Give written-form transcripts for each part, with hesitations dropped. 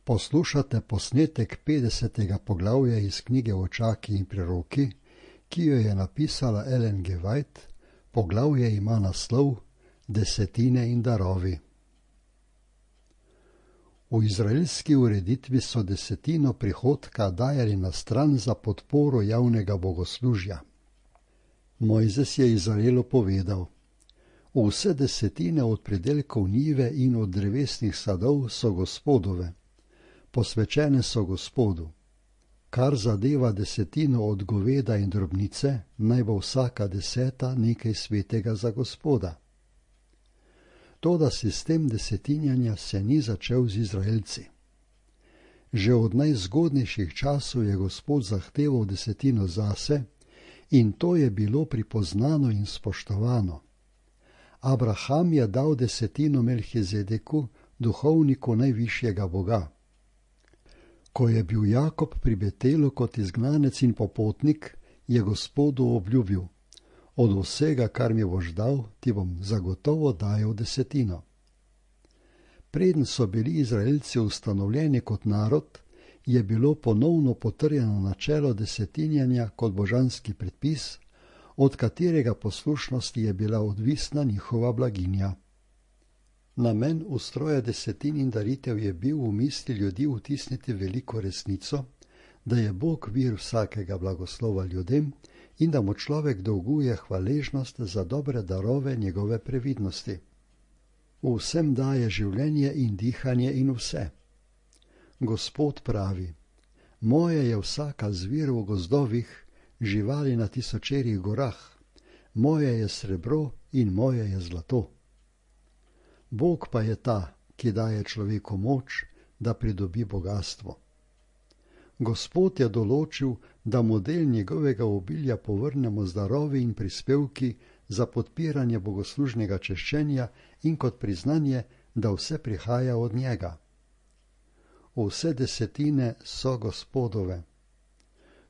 Poslušate posnetek 50. poglavja iz knjige Očaki in preroki, ki jo je napisala Ellen G. White. Poglavje ima naslov Desetine in darovi. V izraelski ureditvi so desetino prihodka dajali na stran za podporo javnega bogoslužja. Mojzes je Izraelu povedal: vse desetine od pridelkov njive in od drevesnih sadov so Gospodove, posvečene so Gospodu. Kar zadeva desetino od goveda in drobnice, naj bo vsaka 10 nekaj svetega za Gospoda. Toda sistem desetinjanja se ni začel z Izraelci. Že od najzgodnejših časov je Gospod zahteval desetino zase in to je bilo pripoznano in spoštovano. Abraham je dal desetino Melhizedeku, duhovniku najvišjega Boga. Ko je bil Jakob pri Betelu kot izgnanec in popotnik, je Gospodu obljubil: od vsega, kar mi boš dal, ti bom zagotovo dajal desetino. Preden so bili Izraelci ustanovljeni kot narod, je bilo ponovno potrjeno načelo desetinjanja kot božanski predpis, od katerega poslušnosti je bila odvisna njihova blaginja. Namen ustroja desetin in daritev je bil v misli ljudi vtisniti veliko resnico, da je Bog vir vsakega blagoslova ljudem in da mu človek dolguje hvaležnost za dobre darove njegove previdnosti. Vsem daje življenje in dihanje in vse. Gospod pravi: moje je vsaka zvir v gozdovih, živali na tisočerih gorah, moje je srebro in moje je zlato. Bog pa je ta, ki daje človeku moč, da pridobi bogastvo. Gospod je določil, da mu del njegovega obilja povrnemo z darovi in prispevki za podpiranje bogoslužnega češčenja in kot priznanje, da vse prihaja od njega. Vse desetine so Gospodove.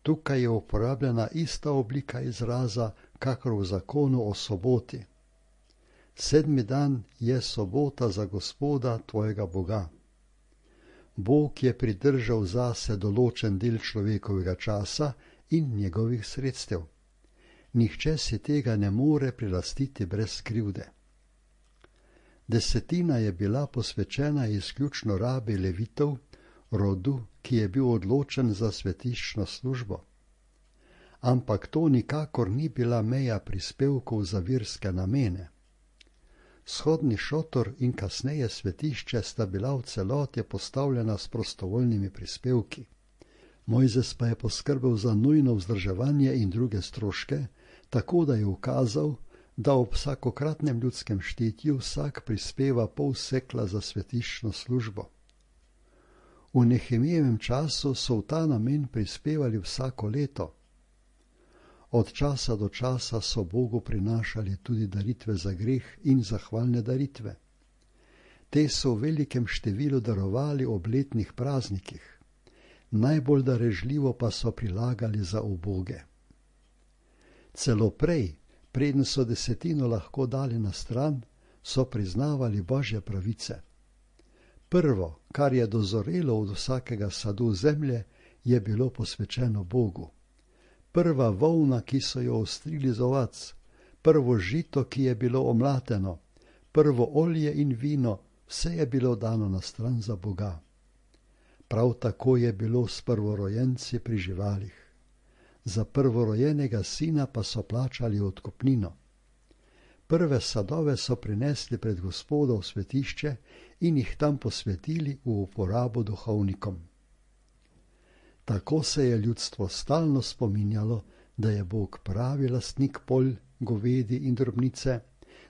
Tukaj je uporabljena ista oblika izraza, kakor v zakonu o soboti. 7. dan je sobota za Gospoda tvojega Boga. Bog je pridržal zase določen del človekovega časa in njegovih sredstev. Nihče si tega ne more prilastiti brez krivde. Desetina je bila posvečena izključno rabi levitov, rodu, ki je bil odločen za svetiščno službo. Ampak to nikakor ni bila meja prispevkov za verske namene. Shodni šotor in kasneje svetišče sta bila v celoti postavljena s prostovoljnimi prispevki. Mojzes pa je poskrbel za nujno vzdrževanje in druge stroške, tako da je ukazal, da ob vsakokratnem ljudskem štetju vsak prispeva pol sekla za svetiščno službo. V Nehemijevem času so v ta namen prispevali vsako leto. Od časa do časa so Bogu prinašali tudi daritve za greh in zahvalne daritve. Te so v velikem številu darovali ob letnih praznikih. Najbolj darežljivo pa so prilagali za uboge. Celo prej, preden so desetino lahko dali na stran, so priznavali Božje pravice. Prvo, kar je dozorelo od vsakega sadu zemlje, je bilo posvečeno Bogu. Prva volna, ki so jo ostrili z ovac, prvo žito, ki je bilo omlateno, prvo olje in vino, vse je bilo dano na stran za Boga. Prav tako je bilo s prvorojenci pri živalih. Za prvorojenega sina pa so plačali odkupnino. Prve sadove so prinesli pred Gospoda v svetišče in jih tam posvetili v uporabo duhovnikom. Tako se je ljudstvo stalno spominjalo, da je Bog pravi lastnik polj, govedi in drobnice,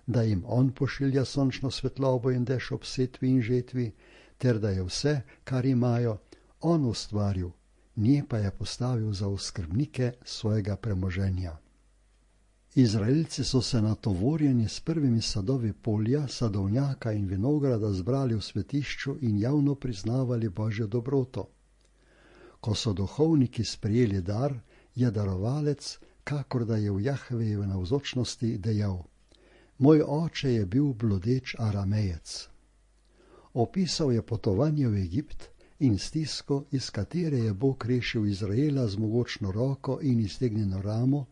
da jim on pošilja sončno svetlobo in dež ob setvi in žetvi, ter da je vse, kar imajo, on ustvaril, nje pa je postavil za oskrbnike svojega premoženja. Izraelci so se natovorjeni s prvimi sadovi polja, sadovnjaka in vinograda zbrali v svetišču in javno priznavali Božjo dobroto. Ko so duhovniki sprejeli dar, je darovalec, kakor da je v Jahvejevi navzočnosti, dejal: moj oče je bil blodeč Aramejec. Opisal je potovanje v Egipt in stisko, iz katere je Bog rešil Izraela z mogočno roko in iztegnjeno ramo,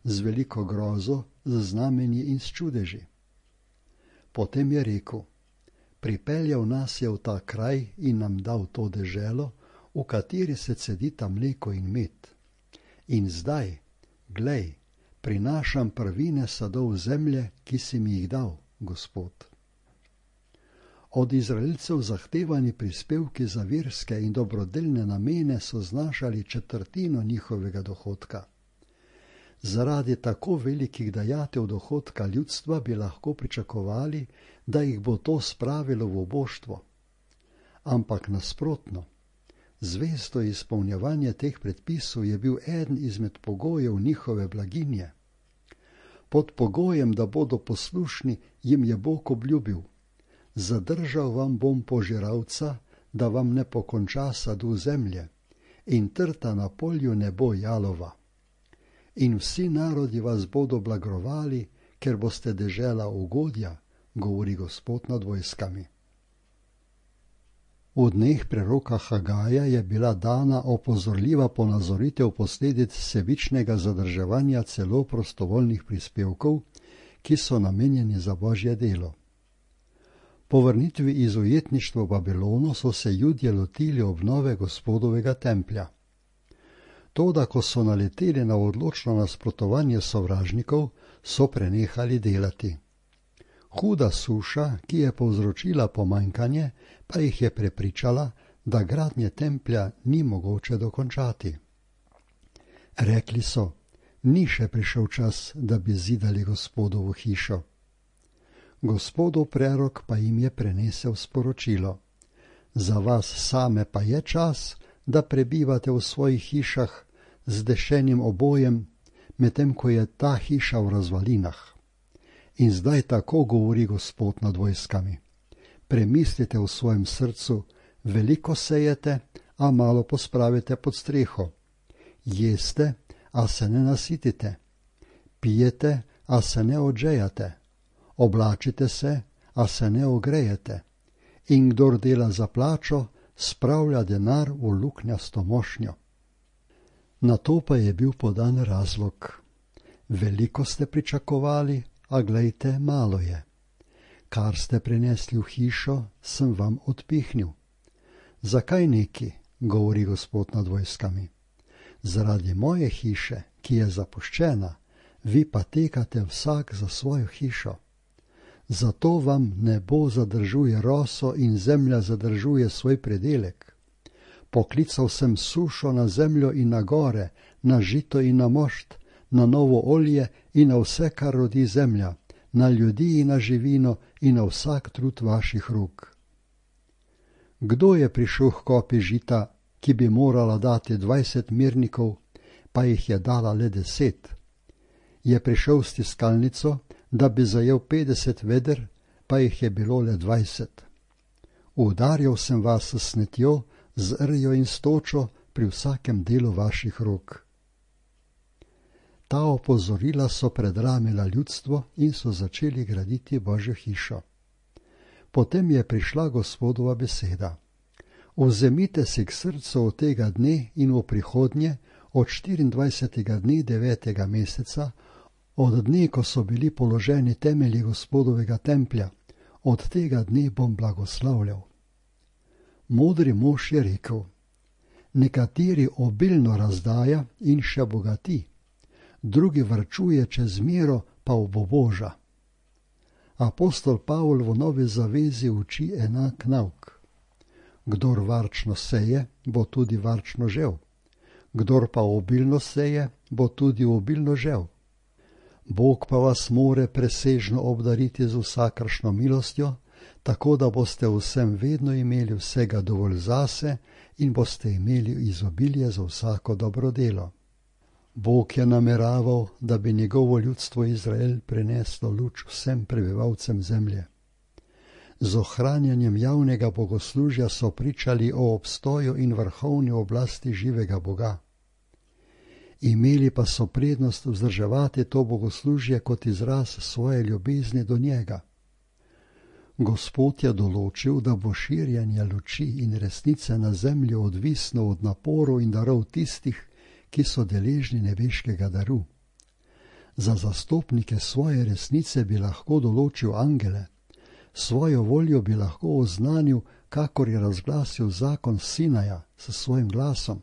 z veliko grozo, z znamenji in s čudeži. Potem je rekel: pripeljal nas je v ta kraj in nam dal to deželo, v kateri se cedita mleko in med. In zdaj, glej, prinašam prvine sadov zemlje, ki si mi jih dal, Gospod. Od Izraelcev zahtevani prispevki za verske in dobrodelne namene so znašali četrtino njihovega dohodka. Zaradi tako velikih dajatev dohodka ljudstva bi lahko pričakovali, da jih bo to spravilo v oboštvo. Ampak nasprotno, zvesto izpolnjevanje teh predpisov je bil eden izmed pogojev njihove blaginje. Pod pogojem, da bodo poslušni, jim je Bog obljubil: zadržal vam bom požiralca, da vam ne pokonča sadu zemlje, in trta na polju ne bo jalova. In vsi narodi vas bodo blagrovali, ker boste dežela ugodja, govori Gospod nad vojskami. V dneh preroka Hagaja je bila dana opozorljiva ponazoritev posledic sebičnega zadrževanja celo prostovoljnih prispevkov, ki so namenjeni za Božje delo. Po vrnitvi iz ujetništva v Babilonu so se Judje lotili obnove Gospodovega templja. Toda, ko so naleteli na odločno nasprotovanje sovražnikov, so prenehali delati. Huda suša, ki je povzročila pomanjkanje, pa jih je prepričala, da gradnje templja ni mogoče dokončati. Rekli so: ni še prišel čas, da bi zidali Gospodovo hišo. Gospodov prerok pa jim je prenesel sporočilo: za vas same pa je čas, da prebivate v svojih hišah z dešenim obojem, medtem ko je ta hiša v razvalinah. In zdaj tako govori Gospod nad vojskami: premislite v svojem srcu, veliko sejete, a malo pospravite pod streho. Jeste, a se ne nasitite. Pijete, a se ne odžejate. Oblačite se, a se ne ogrejete. In kdor dela za plačo, spravlja denar v luknjasto mošnjo. Na to pa je bil podan razlog: veliko ste pričakovali, a glejte, malo je. Kar ste prinesli v hišo, sem vam odpihnil. Zakaj neki, govori Gospod nad vojskami? Zaradi moje hiše, ki je zapuščena, vi pa tekate vsak za svojo hišo. Zato vam nebo zadržuje roso in zemlja zadržuje svoj predelek. Poklical sem sušo na zemljo in na gore, na žito in na mošt, na novo olje in na vse, kar rodi zemlja, na ljudi in na živino in na vsak trud vaših rok. Kdo je prišel h kopi žita, ki bi morala dati 20 mirnikov, pa jih je dala le 10? Je prišel s tiskalnico, da bi zajel 50 veder, pa jih je bilo le 20. Udarjal sem vas s snetjo, z rjo in stočo pri vsakem delu vaših rok. Ta opozorila so predramila ljudstvo in so začeli graditi Božjo hišo. Potem je prišla Gospodova beseda: vzemite si k srcu od tega dne in v prihodnje, od 24. dne 9. meseca, od dne, ko so bili položeni temelji Gospodovega templja, od tega dne bom blagoslavljal. Modri mož je rekel: nekateri obilno razdaja in še bogati, drugi varčuje čez mero pa oboboža. Apostol Pavol v Novi zavezi uči enak nauk: kdor varčno seje, bo tudi varčno žel, kdor pa obilno seje, bo tudi obilno žel. Bog pa vas more presežno obdariti z vsakršno milostjo, tako da boste vsem vedno imeli vsega dovolj zase in boste imeli izobilje za vsako dobro delo. Bog je nameraval, da bi njegovo ljudstvo Izrael prineslo luč vsem prebivalcem zemlje. Z ohranjanjem javnega bogoslužja so pričali o obstoju in vrhovni oblasti živega Boga. Imeli pa so prednost vzdrževati to bogoslužje kot izraz svoje ljubezni do njega. Gospod je določil, da bo širjenje luči in resnice na zemlji odvisno od naporov in darov tistih, ki so deležni nebeškega daru. Za zastopnike svoje resnice bi lahko določil angele, svojo voljo bi lahko oznanil, kakor je razglasil zakon Sinaja s svojim glasom.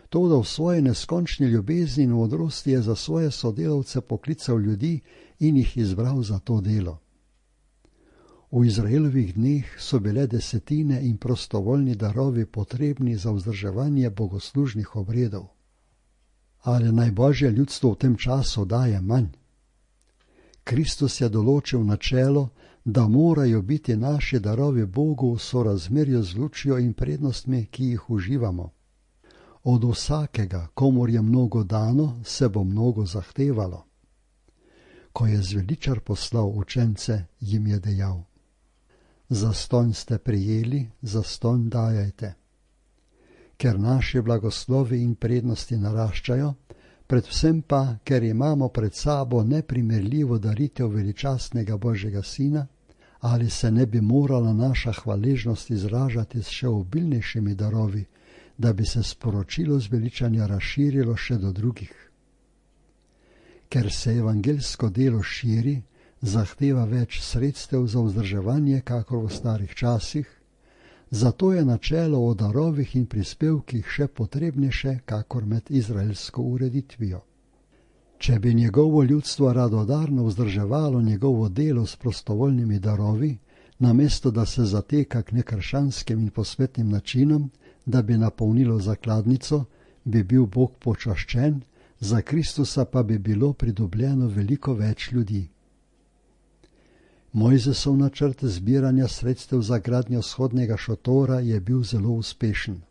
Toda v svoji neskončni ljubezni in modrosti je za svoje sodelavce poklical ljudi in jih izbral za to delo. V Izraelovih dneh so bile desetine in prostovoljni darovi potrebni za vzdrževanje bogoslužnih obredov. Ali naj Božje ljudstvo v tem času daje manj? Kristus je določil načelo, da morajo biti naši darovi Bogu v sorazmerju z lučjo in prednostmi, ki jih uživamo. Od vsakega, komur je mnogo dano, se bo mnogo zahtevalo. Ko je zveličar poslal učence, jim je dejal: zastonj ste prijeli, zastonj dajajte. Ker naši blagoslovi in prednosti naraščajo, predvsem pa, ker imamo pred sabo neprimerljivo daritev veličastnega Božjega Sina, ali se ne bi morala naša hvaležnost izražati s še obilnejšimi darovi, da bi se sporočilo zveličanja razširilo še do drugih. Ker se evangeljsko delo širi, zahteva več sredstev za vzdrževanje, kakor v starih časih, zato je načelo o darovih in prispevkih še potrebnejše, kakor med izraelsko ureditvijo. Če bi njegovo ljudstvo radodarno vzdrževalo njegovo delo s prostovoljnimi darovi, namesto da se zateka k nekrščanskim in posvetnim načinom, da bi napolnilo zakladnico, bi bil Bog počaščen, za Kristusa pa bi bilo pridobljeno veliko več ljudi. Mojzesov načrt zbiranja sredstev za gradnjo vzhodnega šotora je bil zelo uspešen.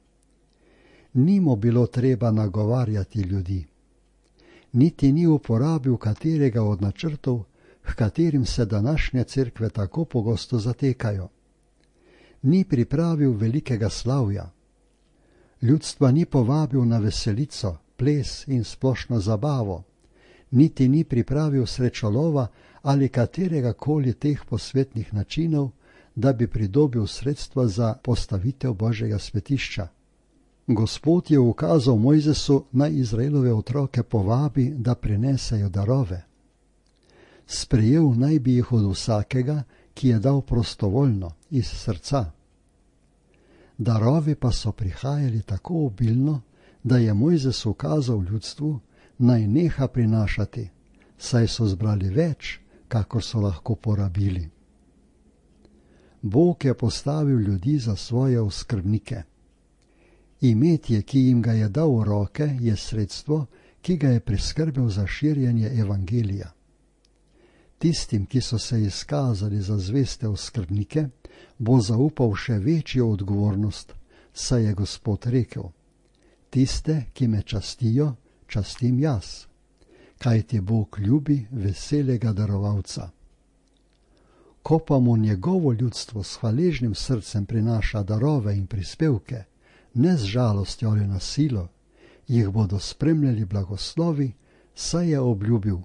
Ni mu bilo treba nagovarjati ljudi. Niti ni uporabil katerega od načrtov, h katerim se današnje cerkve tako pogosto zatekajo. Ni pripravil velikega slavja. Ljudstva ni povabil na veselico, ples in splošno zabavo, niti ni pripravil srečolova ali katerega koli teh posvetnih načinov, da bi pridobil sredstva za postavitev Božjega svetišča. Gospod je ukazal Mojzesu, naj Izraelove otroke povabi, da prinesejo darove. Sprejel naj bi jih od vsakega, ki je dal prostovoljno, iz srca. Darovi pa so prihajali tako obilno, da je Mojzes ukazal ljudstvu, naj neha prinašati, saj so zbrali več, kakor so lahko porabili. Bog je postavil ljudi za svoje oskrbnike. Imetje, ki jim ga je dal v roke, je sredstvo, ki ga je priskrbel za širjenje evangelija. Tistim, ki so se izkazali za zveste oskrbnike, bo zaupal še večjo odgovornost, saj je Gospod rekel: tiste, ki me častijo, častim jaz, kajti Bog ljubi veselega darovalca. Ko pa mu njegovo ljudstvo s hvaležnim srcem prinaša darove in prispevke, ne z žalostjo ali na silo, jih bodo spremljali blagoslovi, saj je obljubil: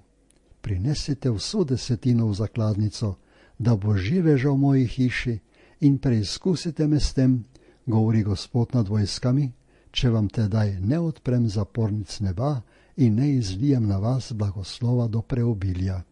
prinesite vso desetino v zakladnico, da bo živeža v moji hiši, in preizkusite me s tem, govori Gospod nad vojskami, če vam tedaj ne odprem zapornic neba in ne izlijem na vas blagoslova do preobilja.